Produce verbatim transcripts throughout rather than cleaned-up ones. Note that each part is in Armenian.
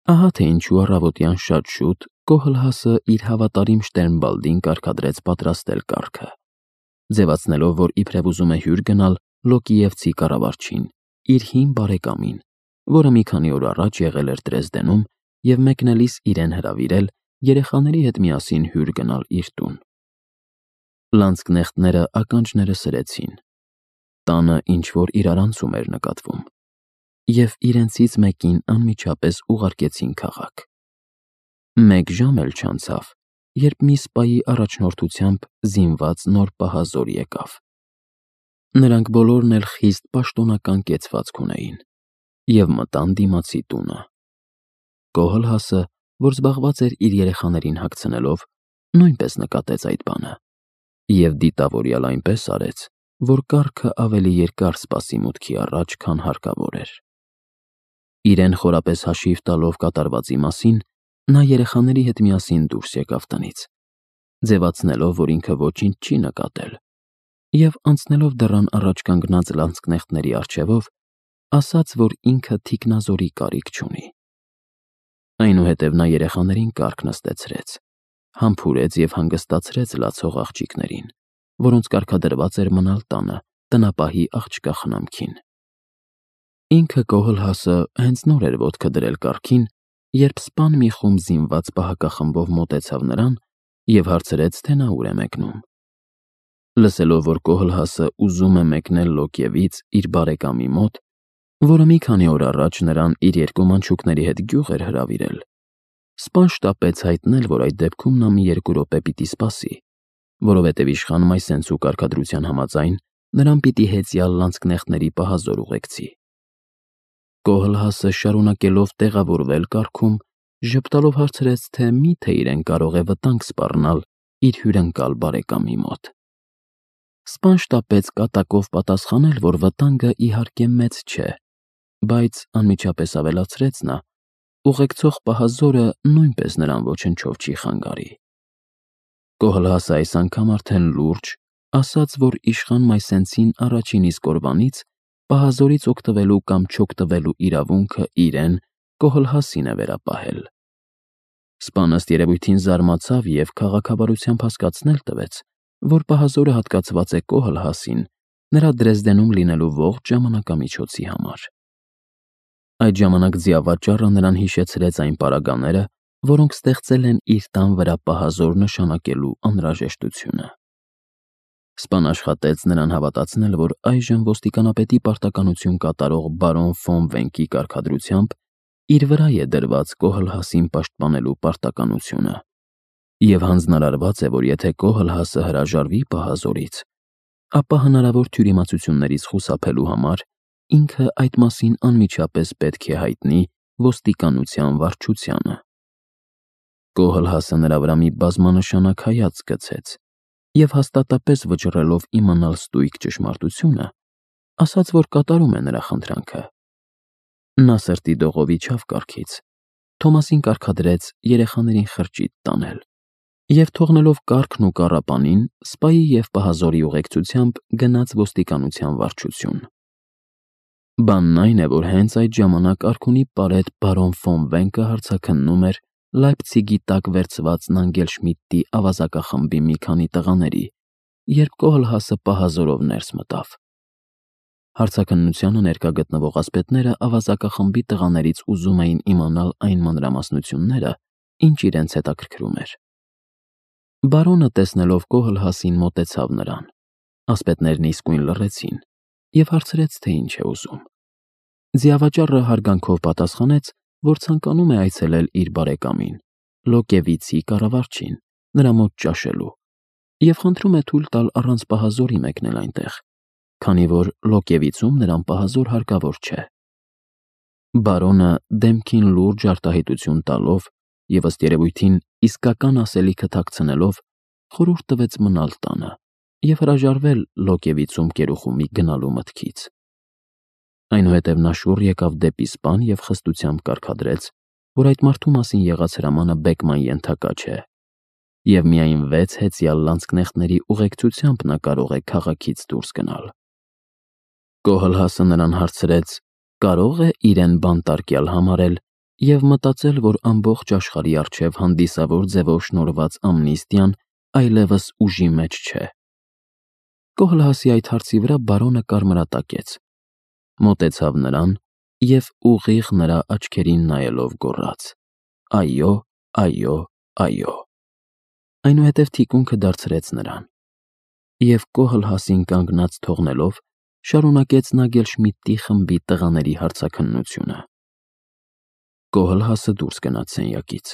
Ահա թե ինչու առավոտյան շատ շուտ Կոհլհասը իր հավատարիմ Շտերնբալդին կարգադրեց պատրաստել կառքը, ձևացնելով, որ իբրև ուզում է հյուր գնալ Լոկիևցի կառավարչին, իր հին բարեկամին, որը մի քանի օր առաջ եղել էր Դրեզդենում և մեկնելիս իրեն հրավիրել երեխաների հետ միասին հյուր գնալ իր տուն։ Լանձկնեխտները ականջները սրեցին, տանը ինչ-որ իրարանցում էր նկատվում, և իրենցից մեկին անմիջապես ուղարկեցին քաղաք։ Մեկ ժամ էլ չանցավ, երբ մի սպայի առաջնորդությամբ զինված նոր պահազոր եկավ։ Նրանք բոլորն էլ խիստ պաշտոնական կեցվածք ունեին և մտան դիմացի տունը։ Կոհլհասը, որ զբաղված էր իր երեխաներին հագցնելով, նույնպես նկատեց այդ բանը և դիտավորյալ այնպես արեց, որ կառքը ավելի երկար սպասի մուտքի առաջ, քան հարկավոր էր։ Իրեն խորապես հաշիվ տալով կատարվածի մասին, նա երեխաների հետ միասին դուրս եկավ տնից, ձևացնելով, որ ինքը ոչինչ չի նկատել, և անցնելով դռան առաջ կանգնած լանձկնեխտների առջևով, ասաց, որ ինքը թիկնազորի կարիք չունի։ Այնուհետև նա երեխաներին կառք նստեցրեց, համբուրեց և հանգստացրեց լացող աղջիկներին, որոնց կարգադրված էր մնալ տանը տնապահի աղջկա խնամքին։ Ինքը Կոհլհասը հենց նոր էր ոտքը դրել կառքին, երբ սպան մի խումբ զինված պահակախմբով մոտեցավ նրան և հարցրեց, թե նա ուր է մեկնում։ Լսելով, որ Կոհլհասը ուզում է մեկնել Լոկիևից իր բարեկամի մոտ, որը մի քանի օր առաջ նրան իր երկու մանչուկների հետ գյուղ էր հրավիրել, սպան շտապեց հայտնել, որ այդ դեպքում նա մի երկու րոպե պիտի սպասի, որովհետև իշխան Մայսենցու կարգադրության համաձայն նրան պիտի հեծյալ լանձկնեխտների պահազոր ուղեկցի։ Կոհլհասը, շարունակելով տեղավորվել կառքում, ժպտալով հարցրեց, թե մի՞թե իրեն կարող է վտանգ սպառնալ իր հյուրընկալ բարեկամի մոտ։ Սպան շտապեց կատակով պատասխանել, որ վտանգը իհարկե մեծ չէ, բայց անմիջապես ավելացրեց նա. ուղեկցող պահազորը նույնպես նրան ոչնչով չի խանգարի։ Կոհլհասը այս անգամ արդեն լուրջ ասաց, որ իշխան Մայսենցին առաջին իսկ օրվանից պահազորից օգտվելու կամ չօգտվելու իրավունքը իրեն՝ Կոհլհասին է վերապահել։ Սպան ըստ երևույթին զարմացավ և քաղաքավարությամբ հասկացնել տվեց, որ պահազորը հատկացված է Կոհլհասին նրա Դրեզդենում լինելու ողջ ժամանակամիջոցի համար։ Այդ ժամանակ ձիավաճառը նրան հիշեցրեց այն պարագաները, որոնք ստեղծել են իր տան վրա պահազոր նշանակելու անհրաժեշտությունը։ Սպան աշխատեց նրան հավատացնել, որ այժմ ոստիկանապետի պարտականություն կատարող բարոն ֆոն Վենկի կարգադրությամբ իր վրա է դրված Կոհլհասին պաշտպանելու պարտականությունը, և հանձնարարված է, որ եթե Կոհլհասը հրաժարվի պահազորից, ապա հնարավոր թյուրիմացություններից խուսափելու համար ինքը այդ մասին անմիջապես պետք է հայտնի ոստիկանության վարչությանը։ Կոհլհասը նրա վրա մի բազմանշանակ հայացք գցեց և հաստատապես վճռելով իմանալ ստույգ ճշմարտությունը, ասաց, որ կատարում է նրա խնդրանքը։ Նա սրտի դողով իջավ կառքից, Թոմասին կարգադրեց երեխաներին խրճիթ տանել և, թողնելով կառքն ու կառապանին, սպայի և պահազորի ուղեկցությամբ գնաց ոստիկանության վարչություն։ Բանն այն է, որ հենց այդ ժամանակ արքունի պարետ բարոն ֆոն Վենկը հարցաքննում էր Լայպցիգի տակ վերցված Նանգելշմիդտի ավազակախմբի մի քանի տղաների, երբ Կոհլհասը պահազորով ներս մտավ։ Հարցաքննությանը ներկա գտնվող ասպետները ավազակախմբի տղաներից ուզում էին իմանալ այն մանրամասնությունները, ինչ իրենց հետաքրքրում էր։ Բարոնը, տեսնելով Կոհլհասին, մոտեցավ նրան, ասպետներն իսկույն լռեցին և հարցրեց, թե ինչ է ուզում։ Ձիավաճառը հարգանքով պատասխանեց, որ ցանկանում է այցելել իր բարեկամին, Լոկիևիցի կառավարչին, նրա մոտ ճաշելու, և խնդրում է թույլ տալ առանց պահազորի մեկնել այնտեղ, քանի որ Լոկիևիցում նրան պահազոր հարկավոր չէ։ Բարոնը, դեմքին լուրջ արտահայտություն տալով և ըստ երևույթին իսկական ասելիքը թաքցնելով, խորհուրդ տվեց մնալ տանը և հրաժարվել Լոկիևիցում կերուխումի գնալու մտքից։ Այնուհետև նա շուռ եկավ դեպի սպան և խստությամբ կարգադրեց, որ այդ մարդու մասին եղած հրամանը բեկման ենթակա չէ, և միայն վեց հեծյալ լանձկնեխտների ուղեկցությամբ նա կարող է քաղաքից դուրս գնալ։ Կոհլհասը նրան հարցրեց՝ կարո՞ղ է իրեն բանտարկյալ համարել և մտածել, որ ամբողջ աշխարհի առջև հանդիսավոր ձևով շնորհված ամնիստիան այլևս ուժի մեջ չէ։ Կոհլհասի այդ հարցի վրա բարոնը կարմրատակեց, մոտեցավ նրան և ուղիղ նրա աչքերին նայելով գոռաց. «Այո, այո, այո»։ Այնուհետև թիկունքը դարձրեց նրան, և Կոհլհասին կանգնած թողնելով, շարունակեց Նագելշմիդտի խմբի տղաների հարցաքննությունը։ Կոհլհասը դուրս գնաց սենյակից։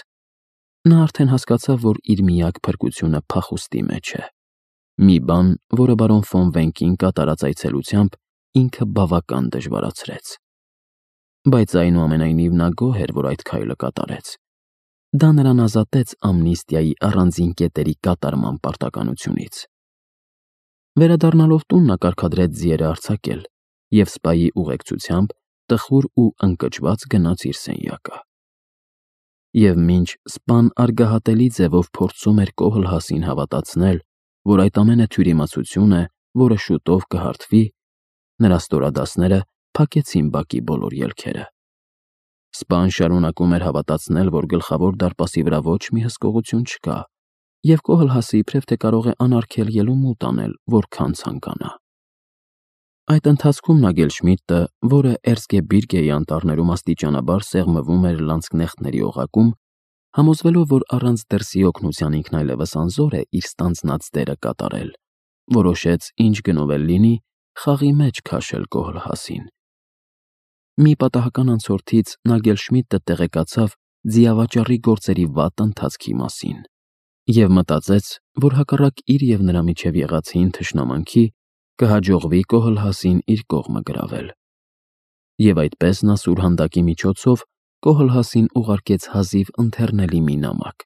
Նա արդեն հասկացավ, որ իր միակ փրկությունը փախուստի մեջ է, մի բան, որը բարոն ֆոն Վենկին կատարած այցելությամբ ինքը բավական դժվարացրեց։ Բայց այնուամենայնիվ նա գոհ էր, որ այդ քայլը կատարեց։ Դա նրան ազատեց ամնիստիայի առանձին կետերի կատարման պարտականությունից։ Վերադառնալով տուն նա կարգադրեց ձիերը արձակել և սպայի ուղեկցությամբ տխուր ու ընկճված գնաց իր սենյակը։ Եվ մինչ սպան արգահատելի ձևով փորձում էր Կոհլհասին հավատացնել, որ այդ ամենը թյուրիմացություն է, որը շուտով կհարթվի, նրա ստորադասները փակեցին բակի բոլոր ելքերը։ Սպան շարունակում էր հավատացնել, որ գլխավոր դարպասի վրա ոչ մի հսկողություն չկա, և Կոհլհասը իբրև թե կարող է անարգել ելումուտ անել, որքան ցանկանա։ Այդ ընթացքում Նագելշմիդտը, որը Էրզգեբիրգեի անտառներում աստիճանաբար սեղմվում էր լանցկնեխտների օղակում, համոզվելով, որ առանց դրսի օգնության ինքն այլևս անզոր է իր ստանձնած դերը կատարել, որոշեց ինչ գնով էլ լինի խաղի մեջ քաշել Կոհլհասին։ Մի պատահական անցորդից Նագելշմիդտը տեղեկացավ ձիավաճառի գործերի վատ ընթացքի մասին և մտածեց, որ հակառակ իր և նրա միջև եղած հին թշնամանքի կհաջողվի Կոհլհասին իր կողմը գրավել։ Եվ այդպես նա սուրհանդակի միջոցով Կոհլհասին ուղարկեց հազիվ ընթեռնելի մի նամակ,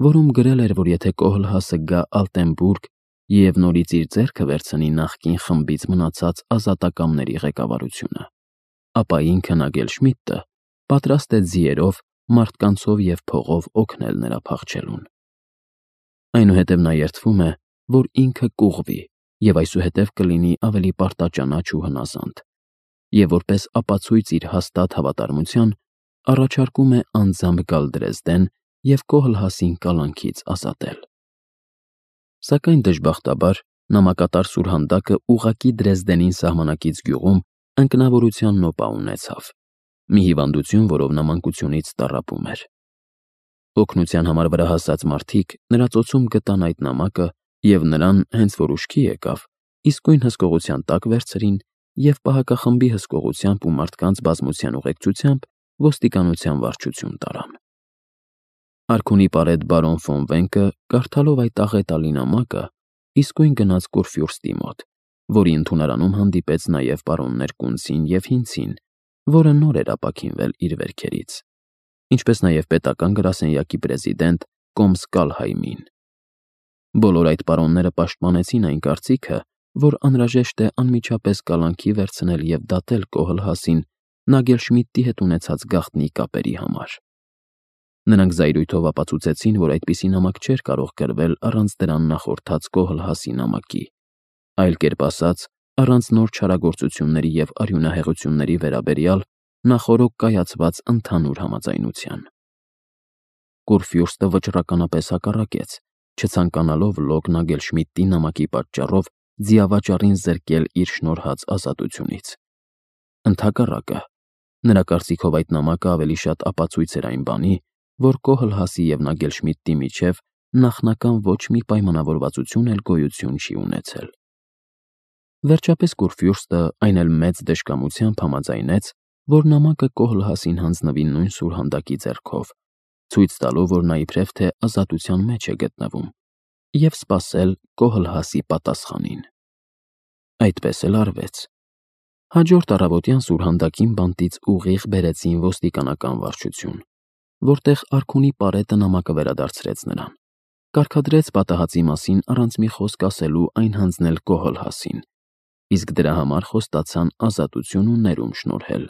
որում գրել էր, որ եթե Կոհլհասը գա Ալտենբուրգ և նորից իր ձեռքը վերցնի նախկին խմբից մնացած ազատակամների ղեկավարությունը, ապա ինքը Նագելշմիդտը պատրաստ է ձիերով, մարդկանցով և փողով օգնել նրա փախչելուն։ Այնուհետև նա երդվում է, որ ինքը կուղվի և այսուհետև կլինի ավելի պարտաճանաչ ու հնազանդ, և որպես ապացույց իր հաստատ հավատարմության առաջարկում է անձամբ գալ Դրեզդեն և Կոհլհասին կալանքից ազատել։ Սակայն դժբախտաբար նամակատար սուրհանդակը ուղղակի Դրեզդենին սահմանակից գյուղում ընկնավորության նոպա ունեցավ, մի հիվանդություն, որով նա մանկությունից տառապում էր։ Օգնության համար վրա հասած մարդիկ նրա ծոցում գտան այդ նամակը և նրան, հենց որ ուշքի եկավ, իսկույն հսկողության տակ վերցրին և պահակախմբի հսկողությամբ ու մարդկանց բազմության ուղեկցությամբ ոստիկանության վարչություն տարան։ Արքունի պարետ բարոն ֆոն Վենկը, կարդալով այդ աղետալի նամակը, իսկույն գնաց Կուրֆյուրստի մոտ, որի ընդունարանում հանդիպեց նաև պարոններ Կունցին և Հինցին, որը նոր էր ապաքինվել իր վերքերից, ինչպես նաև պետական գրասենյակի պրեզիդենտ կոմս Կալհայմին։ Բոլոր այդ պարոնները պաշտպանեցին այն կարծիքը, որ անհրաժեշտ է անմիջապես կալանքի վերցնել և դատել Կոհլհասին Նագելշմիդտի հետ ունեցած գաղտնի կապերի համար։ Նրանք զայրույթով ապացուցեցին, որ այդպիսի նամակ չէր կարող գրվել առանց դրան նախորդած Կոհլհասի նամակի, այլ կերպ ասած, առանց նոր չարագործությունների և արյունահեղությունների վերաբերյալ նախօրոք կայացված ընդհանուր համաձայնության։ Կուրֆյուրստը վճռականապես հակառակեց, չցանկանալով լոկ Նագելշմիդտի նամակի պատճառով ձիավաճառին զրկել իր շնորհած ազատությունից։ Ընդհակառակը, նրա կարծիքով այդ նամակը ավելի շատ ապացույց էր այն բանի, որ Կոհլհասի և Նագելշմիդտի միջև նախնական ոչ մի պայմանավորվածություն էլ գոյություն չի ունեցել։ Վերջապես Կուրֆյուրստը այն էլ մեծ դժկամությամբ համաձայնեց, որ նամակը Կոհլհասին հանձնվի նույն սուրհանդակի ձեռքով, ցույց տալով, որ նա իբրև թե ազատության մեջ է գտնվում, և սպասել Կոհլհասի պատասխանին։ Այդպես էլ արվեց։ Հաջորդ առավոտյան սուրհանդակին բանտից ուղիղ բերեցին ոստիկանական վարչություն, որտեղ արքունի պարետը նամակը վերադարձրեց նրան, կարգադրեց պատահածի մասին առանց մի խոսք ասելու այն հանձնել Կոհլհասին, իսկ դրա համար խոստացան ազատություն ու ներում շնորհել։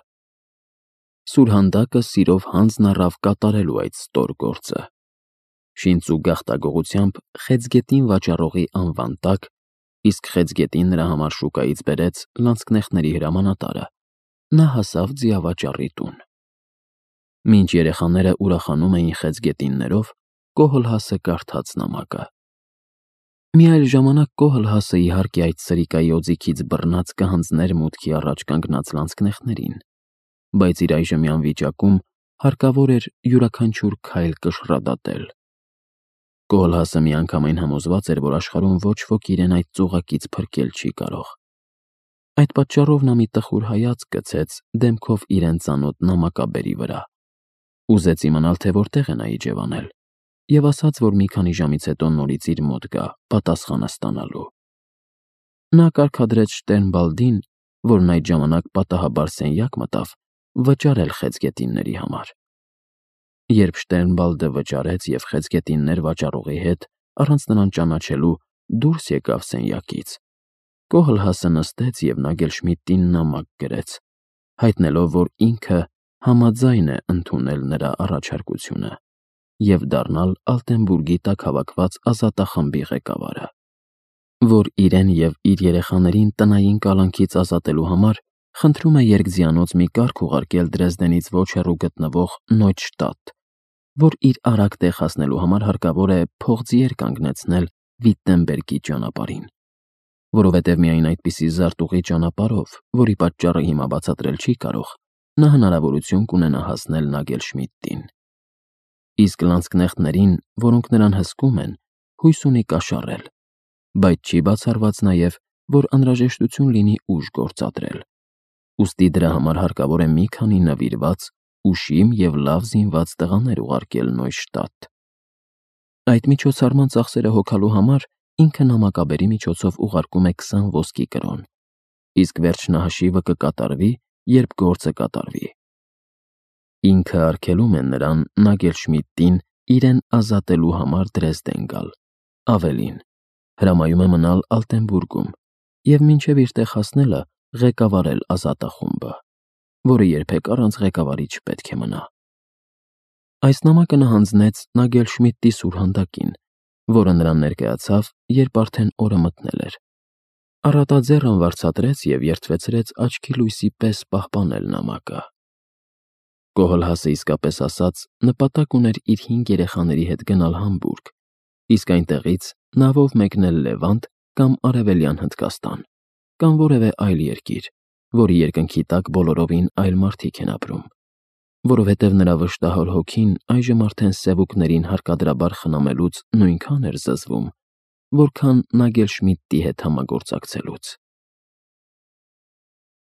Սուրհանդակը սիրով հանձն առավ կատարելու այդ ստոր գործը։ Շինծ ու գաղտագողությամբ Խեցգետին վաճառողի անվան տակ, իսկ Խեցգետին նրա համար շուկայից բերեց լանցկնեխտների հրամանատարը, նա հասավ ձիավաճառի տուն։ Մինչ երեխաները ուրախանում էին խեցգետիններով, Կոհլհասը կարդաց նամակը։ Մի այլ ժամանակ Կոհլհասը իհարկե այդ սրիկայի օձիքից բռնած կհանձներ մուտքի առաջ կանգնած լանցքնեխներին, բայց իր այժմյան վիճակում հարկավոր էր յուրաքանչյուր քայլ կշռադատել։ Կոհլհասը միանգամայն համոզված էր, որ աշխարհում ոչ ոք իրեն այդ ծուղակից փրկել չի կարող։ Այդ պատճառով նա մի տխուր հայացք գցեց դեմքով իրեն ծանոթ նամակաբերի վրա, ուզեց իմանալ, թե որտեղ է նա իջևանել, և ասաց, որ մի քանի ժամից հետո նորից իր մոտ գա պատասխանը ստանալու։ Նա կարգադրեց Շտերնբալդին, որն այդ ժամանակ պատահաբար սենյակ մտավ, վճարել խեցգետինների համար։ Երբ Շտերնբալդը վճարեց և խեցգետիններ վաճառողի հետ, առանց նրան ճանաչելու, դուրս եկավ սենյակից, Կոհլհասը նստեց և Նագելշմիդտին նամակ գրեց, հայտնելով, որ ինքը համաձայն է ընդունել նրա առաջարկությունը և դառնալ Ալտենբուրգի տակ հավաքված ազատախմբի ղեկավարը, որ իրեն և իր երեխաներին տնային կալանքից ազատելու համար խնդրում է երկձիանոց մի կարգ ուղարկել Դրեզդենից ոչ հեռու գտնվող Նոյդշտադտ, որ իր արագ տեղ հասնելու համար հարկավոր է փողձիեր կանգնեցնել Վիտտենբերգի ճանապարհին, որովհետև միայն այդպիսի զարտուղի ճանապարհով, որի պատճառը հիմա բացատրել չի կարող, նա հնարավորություն կունենա հասնել Նագելշմիդտին։ Իսկ լանցքնեխտներին, որոնք նրան հսկում են, հույս ունի կաշառել, բայց չի բացառված նաև, որ անհրաժեշտություն լինի ուժ գործադրել, ուստի դրա համար հարկավոր է մի քանի նվիրված, ուշիմ և լավ զինված տղաներ ուղարկել Նոյշտադտ։ Այդ միջոցառման ծախսերը հոգալու համար ինքը նամակաբերի միջոցով ուղարկում է քսան ոսկի կրոն, իսկ վերջնահաշիվը կկատարվի, երբ գործը կատարվի։ Ինքը արգելում է նրան Նագելշմիդտին իրեն ազատելու համար Դրեզդեն գալ, ավելին, հրամայում է մնալ Ալտենբուրգում և մինչև իր տեղ հասնելը ղեկավարել ազատախումբը, որը երբեք առանց ղեկավարի չպետք է մնա։ Այս նամակը նա հանձնեց Նագելշմիդտի սուրհանդակին, որը նրան ներկայացավ, երբ արդեն օրը մթնել էր։ Առատաձեռն վարձատրեց և երդվեցրեց աչքի լույսի պես պահպանել նամակը։ Կոհլհասը իսկապես ասած նպատակ ուներ իր հինգ երեխաների հետ գնալ Համբուրգ, իսկ այնտեղից նավով մեկնել Լևանտ կամ Արևելյան Հնդկաստան, կամ որևէ այլ երկիր, որի երկնքի տակ բոլորովին այլ մարդիկ են ապրում, որովհետև նրա վշտահոր հոգին այժմ արդեն սևուկներին հարկադրաբար խնամելուց նույնքան էր զզվում, որքան Նագելշմիդտի հետ համագործակցելուց։